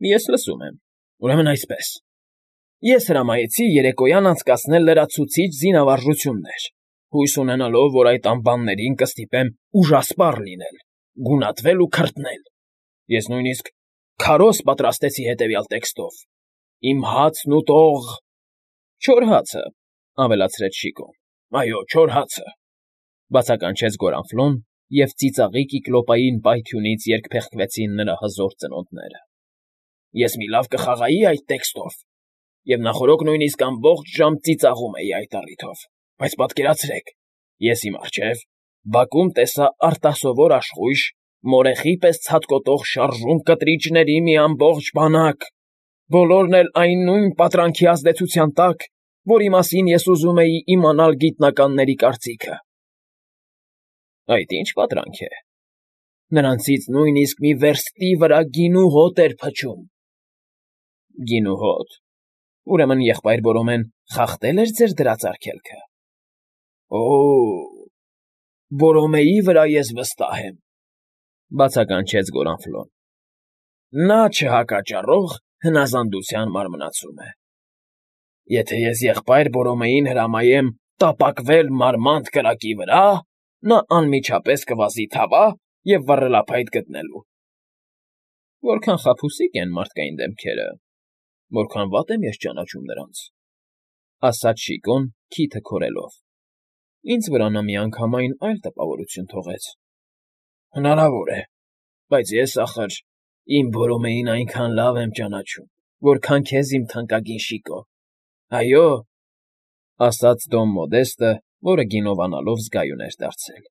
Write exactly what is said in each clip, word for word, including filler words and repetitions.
Ես լսում եմ։ Ուրեմն այսպես. ես հրամայեցի երեկոյան անցկացնել լրացուցիչ զինավարժություններ, հույս ունենալով, որ այդ ամբաններին կստիպեմ ուժասպառ լինել, գունատվել ու քրտնել. ես նույնիսկ քարոզ պատրաստեցի հետևյալ տեքստով. «Իմ հացն ուտող…» «Չոր հացը», ավելացրեց Շիկոն։ «Այո, չոր հացը», բացականչեց Գորանֆլոն, և ծիծաղի կիկլոպային պայթյունից երկփեղկվեցին նրա հզոր ծնոտները։ «Ես մի լավ կխաղայի այդ տեքստով, և նախօրոք նույնիսկ ամբողջ ժամ ծիծաղում էի այդ առիթով, բայց պատկերացրեք, ես իմ առջև բակում տեսա արտասովոր աշխույժ, մորեխի պես ցատկոտող շարժուն կտրիչների մի ամբողջ բանակ, բոլորն էլ այն նույն պատրանքի ազդեցության տակ, որի մասին ես ուզում էի իմանալ գիտնականների կարծիքը։ Այդ ի՞նչ պատրանք է։ Նրանցից նույնիսկ մի վերստի վրա գինու հոտ էր փչում։ Գինու հոտ։ Ուրեմն եղբայր Բորոմեն խախտել էր ձեր դրած արգելքը։ Օ՜օ, Բորոմեի վրա ես վստահ եմ, բացականչեց Գորանֆլոն։ Նա չհակաճառող հնազանդության մարմնացում է։ Եթե ես եղբայր Բորոմեին հրամայեմ տապակվել մարմանդ կրակի վրա, նա անմիջապես կվազի թավա և վառելափայտ գտնելու։ Որքան խաբուսիկ են մարդկային դեմքերը, որքան վատ եմ ես ճանաչում նրանց, ասաց Շիկոն քիթը քորելով։ Ինձ վրա նա միանգամայն այլ տպավորություն թողեց։ Հնարավոր է, բայց ես, ախր, իմ Բորոմեին այնքան լավ եմ ճանաչում, որքան քեզ, իմ թանկագին Շիկո։ Այո, ասաց Դոն Մոդեստը, որը գինովանալով զգայուն էր դարձել։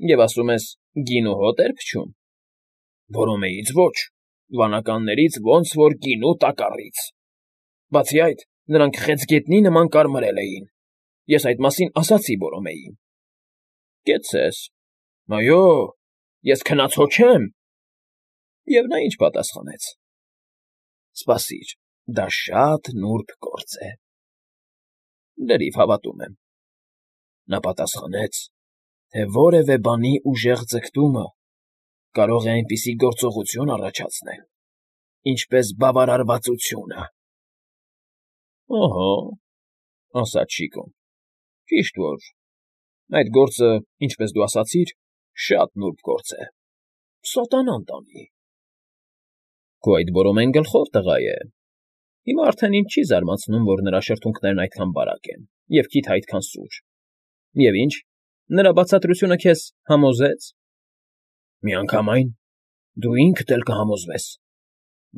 Եվ ասում ես, գինու հոտ էր փչում։ Բորոմեից ոչ, վանականներից ոնց որ գինու տակառից։ Բացի այդ, նրանք խեցգետնի նման կարմրել էին։ Ես այդ մասին ասացի Բորոմեին։ Կեցցես։ Այո, ես քնած հո չեմ։ Եվ նա ինչ պատասխանեց։ Սպասիր, դա շատ նուրբ գործ է։ Լրիվ հավատում եմ։ Նա պատասխանեց, թե որևէ բանի ուժեղ ձգտումը կարող է այնպիսի գործողություն առաջացնել, ինչպես բավարարվածությունը։ Ահա, ասաց Շիկոն, ճիշտ որ, այդ գործը, ինչպես դու ասացիր, շատ նուրբ գործ է, սատանան տանի։ Քո այդ Բորոմեն գլխով տղա է։ Հիմա արդեն ինձ չի զարմացնում, որ նրա շրթունքներն այդքան բարակ են, և քիթը այդքան սուր։ Եվ ինչ, նրա բացատրությունը քեզ համոզեց։ Միանգամայն, դու ինքդ էլ կհամոզվես,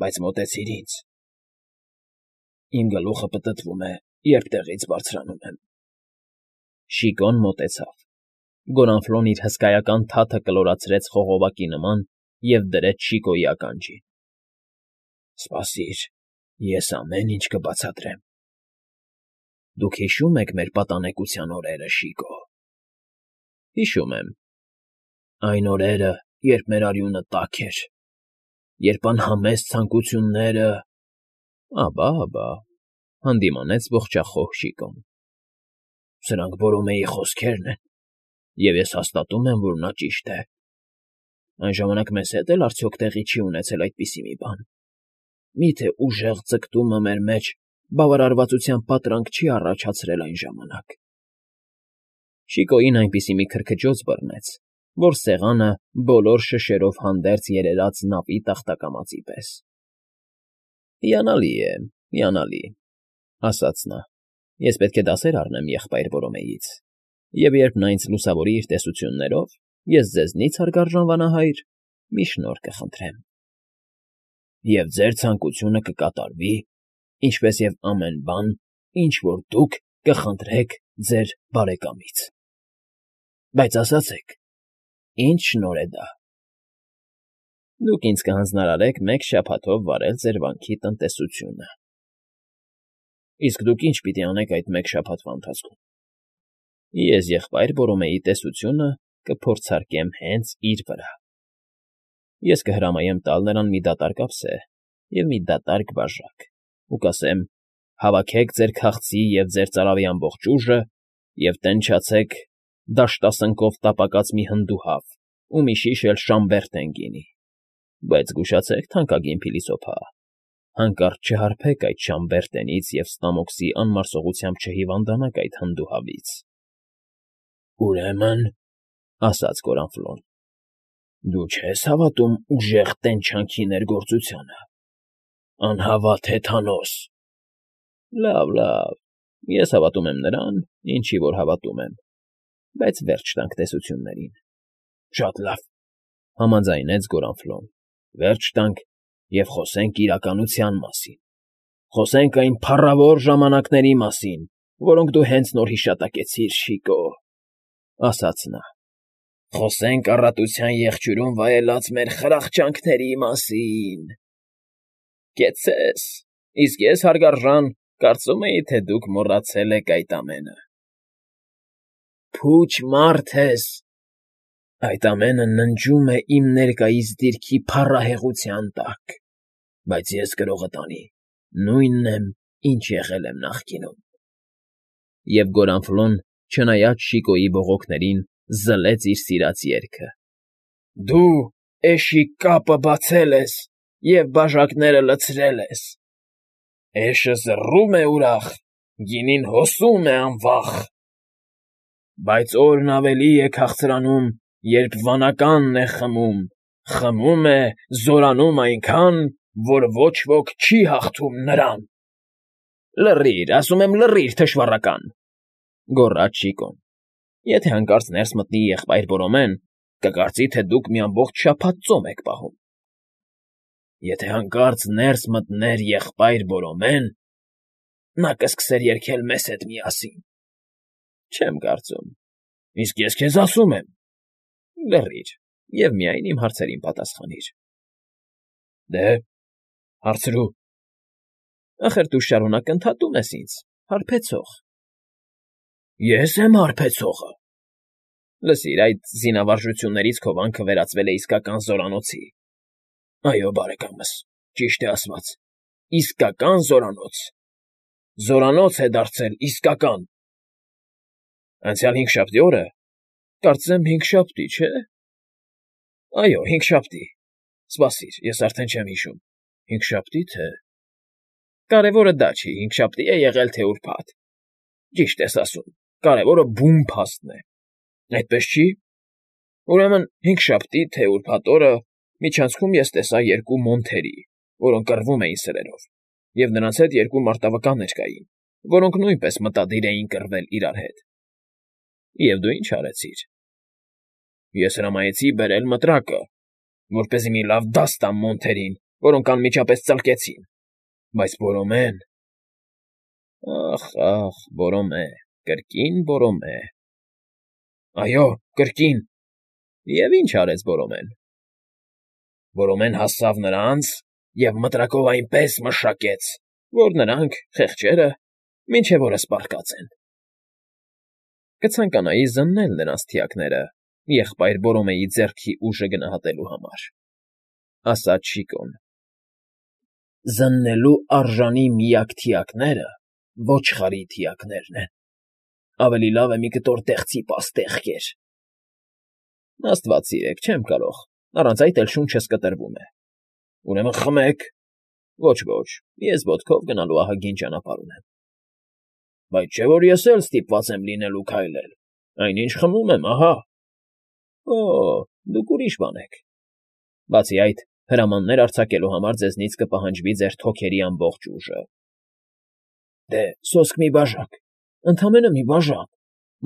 բայց մոտեցիր ինձ։ Իմ գլուխը պտտվում է, երբ տեղից բարձրանում եմ։ Շիկոն մոտեցավ։ Գորանֆլոն իր հսկայական թաթը կլորացրեց խողովակի նման և դրեց Շիկոյի ականջին։ Սպասիր, ես ամեն ինչ կբացատրեմ։ Դուք հիշո՞ւմ եք մեր պատանեկության օրերը, Շիկո։ Հիշում եմ։ Այն օրերը, երբ մեր արյունը տաք էր, երբ անհամեստ ցանկությունները… Աբա, աբա, հանդիմանեց ողջախոհ Շիկոն։ Սրանք Բորոմեի խոսքերն են, և ես հաստատում եմ, որ նա ճիշտ է։ Այն ժամանակ մեզ հետ էլ արդյոք տեղի չի ունեցել այդպիսի մի բան։ Մի՞թե ուժեղ ձգտումը մեր մեջ բավարարվածության պատրանք չի առաջացրել այն ժամանակ։ Շիկոյին այնպիսի մի քրքջոց բռնեց, որ սեղանը բոլոր շշերով հանդերձ երերաց նավի տախտակամածի պես։ Հիանալի է, հիանալի, ասաց նա, ես պետք է դասեր առնեմ եղբայր Բորոմեից, և երբ նա ինձ լուսավորի իր տեսություններով, ես ձեզնից, հարգարժան վանահայր, մի շնորհ կխնդրեմ։ Եվ ձեր ցանկությունը կկատարվի, ինչպես և ամեն բան, ինչ որ դուք կխնդրեք ձեր բարեկամից։ Բայց ասացեք, ի՞նչ շնորհ է դա։ Դուք ինձ կհանձնարարեք մեկ շաբաթով վարել ձեր վանքի տնտեսությունը։ Իսկ դուք ի՞նչ պիտի անեք այդ մեկ շաբաթվա ընթացքում։ Ես եղբայր Բորոմեի տեսությունը կփորձարկեմ հենց իր վրա։ Ես կհրամայեմ տալ նրան մի դատարկ ափսե և մի դատարկ բաժակ ու կասեմ. հավաքեք ձեր քաղցի և ձեր ծարավի ամբողջ ուժը և տենչացեք դաշտասնկով տապակած մի հնդուհավ ու մի շիշ էլ Շամբերտեն գինի։ Բայց զգուշացեք, թանկագին փիլիսոփա, հանկարծ չհարբեք այդ Շամբերտենից և Ստամոքսի անմարսողությամբ չհիվանդանաք այդ հնդուհավից։ ֊ Ուրեմն, ֊ ասաց Կորանֆլոն, ֊ դու չես հավատում ուժեղ տենչանքի ներգործությանը, անհավատ հեթանոս։ ֊ Լավ, լավ, ես հավատում եմ նրան, ինչի որ հավատում եմ, բայց վերջ տանք տեսություններին։ ֊ Շատ լավ, ֊ համաձայնեց Գորանֆլոն, ֊ վերջ տանք և խոսենք իրականության մասին, խոսենք այն փառավոր ժամանակների մասին, որոնք դու հենց նոր հիշատակեցիր, Շիկո, ֊ ասաց նա, ֊ խոսենք առատության եղջյուրում վայելած մեր խրախճանքների մասին։ ֊ Կեցցես, իսկ ես, հարգարժան, կարծում էի, թե դուք մոռացել եք այդ ամենը։ ֊ Փուչ մարդ ես, այդ ամենը ննջում է իմ ներկայիս դիրքի փառահեղության տակ, բայց ես կրողդ անի, նույնն եմ, ինչ եղել եմ նախկինում։ Եվ Գորանֆլոն, չնայած Շիկոյի բողոքներին, զլեց իր սիրած երգը. Դու էշի կապը բացել ես և բաժակները լցրել ես, էշը զռում է ուրախ, գինին հոսում է անվախ, բայց օրն ավելի է քաղցրանում, երբ վանականն է խմում, խմում է, զորանում այնքան, որ ոչ ոք չի հաղթում նրան։ ֊ Լռիր, ասում եմ, լռիր, թշվառական, ֊ գոռաց Շիկոն, ֊ եթե հանկարծ ներս մտնի եղբայր Բորոմեն, կկարծի, թե դուք մի ամբողջ շաբաթ ծոմ եք պահում։ ֊ Եթե հանկարծ ներս մտներ եղբայր Բորոմեն, նա կսկսեր երգել մեզ հետ միասին։ ֊ Չեմ կարծում։ ֊ Իսկ ես քեզ ասում եմ։ ֊ Լռիր և միայն իմ հարցերին պատասխանիր։ ֊ Դե, հարցրու։ ֊ Ախր դու շարունակ ընդհատում ես ինձ, հարբեցող։ ֊ Ե՞ս եմ հարբեցողը։ ֊ Լսիր, այդ զինավարժություններից քո վանքը վերածվել է իսկական զորանոցի։ ֊ Այո, բարեկամս, ճիշտ է ասված, իսկական զորանոց, զորանոց է դարձել, իսկական։ ֊ Անցյալ հինգշաբթի օրը, կարծեմ հինգշաբթի, չէ՞։ ֊ Այո, հինգշաբթի, սպասիր, ես արդեն չեմ հիշում, հինգշաբթի՞ թե… Կարևորը դա չի, հինգշաբթի է եղել, թե ուրբաթ… Ճիշտ ես ասում, կարևորը բուն փաստն է, այդպես չի… Ուրեմն հինգշաբթի, թե ուրբաթ օրը միջանցքում ես տեսա երկու մոնթերի, որոնք կռվում էին սրերով, և նրանց հետ երկու մարտավկաններ կային, որոնք նույնպես մտադիր էին կռվել իրար հետ։ ֊ Եվ դու ի՞նչ արեցիր։ ֊ Ես հրամայեցի բերել մտրակը, որպեսզի մի լավ դաս տամ մոնթերին, որոնք անմիջապես ծլկեցին, բայց Բորոմեն… Ախ, ախ, Բորոմե, կրկին Բորոմե… Այո, կրկին… Եվ ի՞նչ արեց Բորոմեն։ ֊ Բորոմեն հասավ նրանց և մտրակով այնպես մշակեց, որ նրանք, խեղճերը, մինչև օրս պառկած են։ ֊ Կցանկանայի զննել նրանց թիակները եղբայր Բորոմեի ձեռքի ուժը գնահատելու համար, ֊ ասաց Շիկոն։ ֊ Զննելու արժանի միակ թիակները ոչխարի թիակներն են, ավելի լավ է մի կտոր տեղցի պաստեղ կեր։ ֊ Աստված սիրեք, չեմ կարող, առանց այդ էլ շունչս կտրվում է։ ֊ Ուրեմն խմեք։ ֊ Ոչ, ոչ, ես ոտքով գնալու ահագին ճանապարհ ունեմ։ ֊ Բայց չէ՞ որ ես էլ ստիպված եմ լինելու քայլել, այնինչ խմում եմ, ահա։ ֊ Օ՜, դուք ուրիշ բան եք… Բացի այդ, հրամաններ արձակելու համար ձեզնից կպահանջվի ձեր թոքերի ամբողջ ուժը։ ֊ Դե, սոսկ մի բաժակ, ընդամենը մի բաժակ,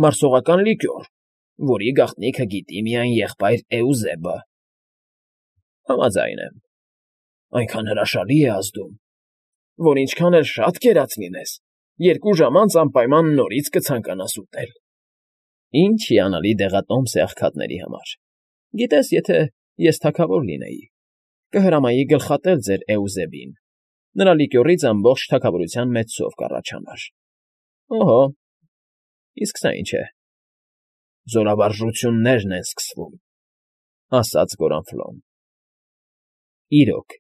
մարսողական լիկյոր, որի գաղտնիքը գիտի միայն եղբայր Էուզեբը։ ֊ Համաձայն եմ։ ֊ Այնքան հրաշալի է ազդում, որ ինչքան էլ շատ կերած լինես, երկու ժամ անց անպայման նորից կցանկանաս ուտել։ ֊ Ինչ հիանալի դեղատոմս է աղքատների համար… Գիտես, եթե ես թագավոր լինեի, կհրամայի գլխատել ձեր Էուզեբին, նրա լիկյորից ամբողջ թագավորության մեծ սով կառաջանար։ ֊ Օհո, իսկ սա ինչ է։ ֊ Զորավարժություններն են սկսվում, ֊ ասաց Գորանֆլոն։ Իրոք,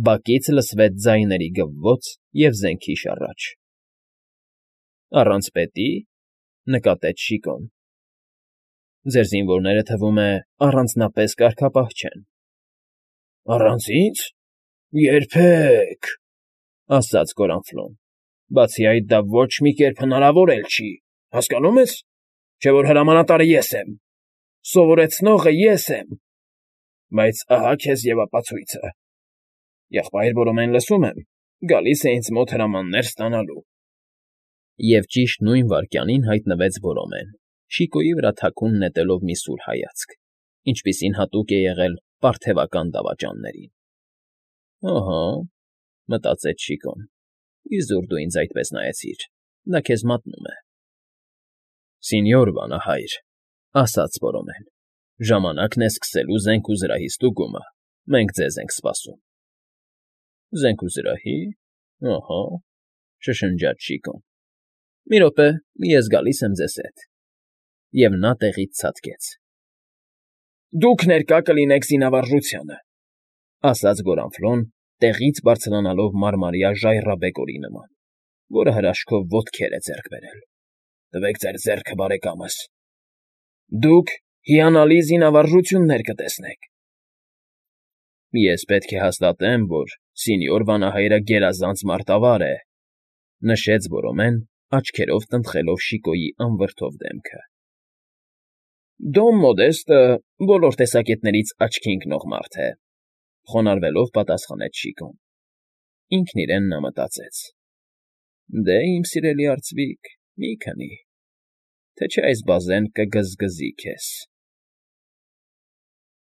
բակից լսվեց ձայների գվվոց և զենքի շառաչ։ ֊ Առանց պետի՞, ֊ նկատեց Շիկոն։ ֊ Ձեր զինվորները, թվում է, առանձնապես կարգապահ չեն։ Առանց ինձ։ Երբեք, ասաց Գորանֆլոն, բացի այդ դա ոչ մի կերպ հնարավոր էլ չի, հասկանո՞ւմ ես, չէ՞ որ հրամանատարը ես եմ, սովորեցնողը ես եմ, բայց ահա քեզ և ապացույցը. եղբայր Բորոմեն, լսում եմ, գալիս է ինձ մոտ հրամաններ ստանալու։ Եվ ճիշտ նույն վայրկյանին հայտնվեց Բորոմեն, շիկոյի վրա թաքուն նետելով մի սուր հայացք, ինչպիսին հատուկ է եղել պարթևական դավաճաններին։ «Ըհը», մտածեց Շիկոն, «իզուր դու ինձ այդպես նայեցիր, դա քեզ մատնում է»։ «Սենյոր վանահայր», ասաց Բորոմեն, «ժամանակն է սկսելու զենք ու զրահի ստուգումը, մենք ձեզ ենք սպասում»։ «Զենք ու զրահի՞, ըհը», շշնջաց Շիկոն։ «Մի րոպե, ես գալիս եմ ձեզ հետ»։ Եվ նա տեղից ցատկեց։ Դուք ներկա կլինեք զինավարժությանը, ասաց Գորանֆլոն, տեղից բարձրանալով մարմարյա ժայռաբեկորի նման, որը հրաշքով ոտքեր է ձեռք բերել։ Տվեք ձեր ձեռքը, բարեկամս։ Դուք հիանալի զինավարժություններ կտեսնեք։ Ես պետք է հաստատեմ, որ սենյոր վանահայրը գերազանց մարտավար է, նշեց Բորոմեն, աչքերով տնտղելով Շիկոյի անվրդով դեմքը։ Դոն Մոդեստը բոլոր տեսակետներից աչքի ընկնող մարդ է, խոնարհվելով պատասխանեց Շիկոն։ Ինքն իրեն նա մտածեց. «Դե, իմ սիրելի արծվիկ, մի քնի, թե չէ այս բազեն կգզգզի քեզ»։